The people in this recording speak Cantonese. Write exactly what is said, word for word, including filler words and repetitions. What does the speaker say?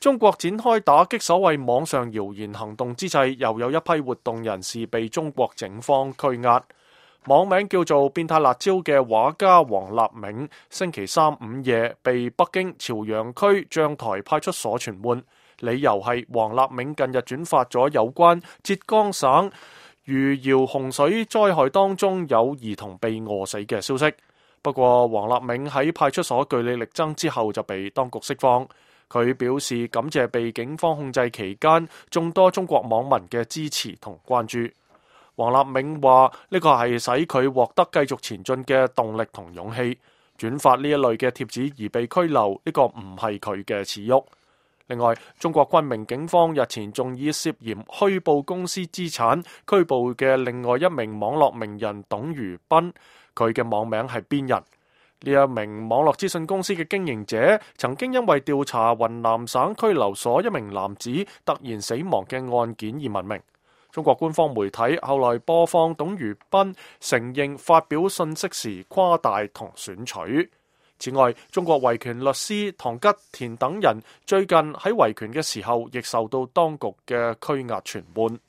中國展開打擊所謂網上謠言行動之際，又有一批活動人士被中國警方拘押。網名叫做變態辣椒嘅畫家黃立銘，星期三午夜被北京朝陽區將台派出所傳喚，理由係黃立銘近日轉發咗有關浙江省餘姚洪水災害當中有兒童被餓死嘅消息。不過黃立銘喺派出所據理力爭之後就被當局釋放。佢表示感謝被警方控制期間眾多中國網民嘅支持同關注。黃立銘話呢個係使佢獲得繼續前進嘅動力同勇氣。轉發呢一類嘅貼子而被拘留，呢個唔係佢嘅恥辱。另外，中國昆明警方日前仲以涉嫌虛報公司資產拘捕嘅另外一名網絡名人董如斌，佢嘅網名係邊人。呢一名網絡資訊公司嘅經營者曾經因為調查雲南省拘留所一名男子突然死亡嘅案件而聞名。中國官方媒體後來播放董如斌承認發表信息時誇大同選取。此外，中國維權律師唐吉田等人最近喺維權嘅時候亦受到當局嘅拘押傳喚。